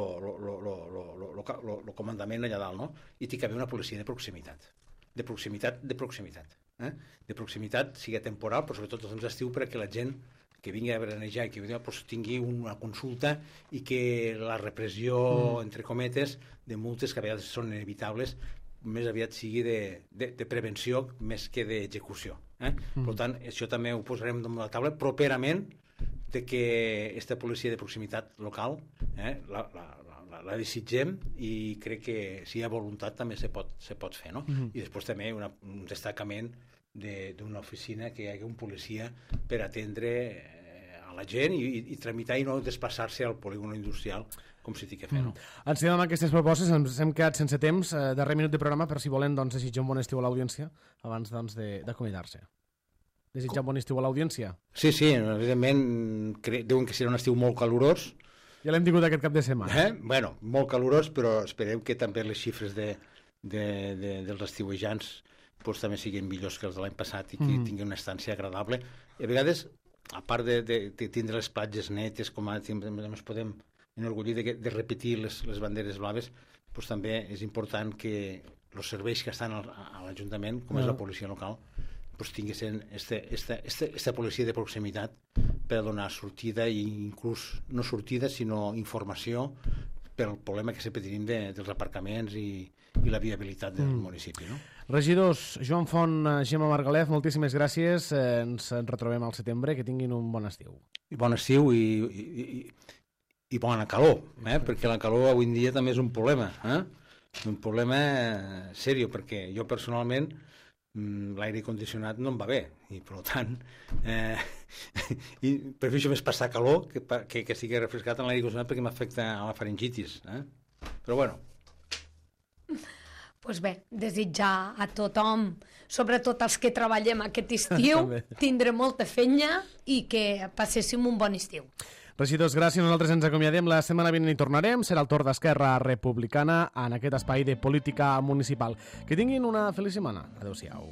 Speaker 2: comandament allà dalt, no? I té que haver una policia de proximitat. De proximitat. De proximitat, sigui temporal, però sobretot els estiu perquè la gent que vingui a veranejar i que tingui una consulta i que la repressió, entre cometes, de multes que a vegades són inevitables, més aviat sigui de prevenció més que d'execució. Per tant, això també ho posarem damunt la taula properament, de que aquesta policia de proximitat local la desitgem i crec que si hi ha voluntat també se pot fer, no? I després també un destacament d'una oficina que hi hagi un policia per atendre a la gent i tramitar i no desplaçar-se al polígon industrial com si té que fer, no?
Speaker 1: Ens quedem amb aquestes propostes, ens hem quedat sense temps, darrer minut de programa, però si volen desitjar un bon estiu a l'audiència abans d'acomiadar-se. Desitjar un bon estiu a l'audiència?
Speaker 2: Sí, evidentment, diuen que serà un estiu molt calorós.
Speaker 1: Ja l'hem tingut aquest cap de setmana.
Speaker 2: Bueno, molt calorós, però esperem que també les xifres dels estiuejants també siguin millors que els de l'any passat i que tinguin una estància agradable. I a vegades, a part de tindre les platges netes, com ara ens podem enorgullir de repetir les banderes blaves, també és important que els serveis que estan a l'Ajuntament, com és la policia local, tinguessin aquesta policia de proximitat per donar sortida i inclús no sortida sinó informació pel problema que sempre tenim dels aparcaments i la viabilitat del municipi, no?
Speaker 1: Regidors, Joan Font, Gemma Margalef, moltíssimes gràcies, ens retrobem al setembre, que tinguin un bon estiu.
Speaker 2: Bon estiu i bona calor, perquè la calor avui en dia també és un problema, un problema seriós, perquè jo personalment l'aire condicionat no em va bé i per tant prefereixo més passar calor que estigui refrescat en l'aire condicionat perquè m'afecta a la faringitis, però bueno.
Speaker 3: Doncs bé, desitjar a tothom, sobretot els que treballem aquest estiu, tindre molta feina i que passéssim un bon estiu.
Speaker 1: Regidors, gràcies. Nosaltres ens acomiadem. La setmana vinent hi tornarem. Serà el torn d'Esquerra Republicana en aquest espai de política municipal. Que tinguin una feliç setmana. Adéu-siau.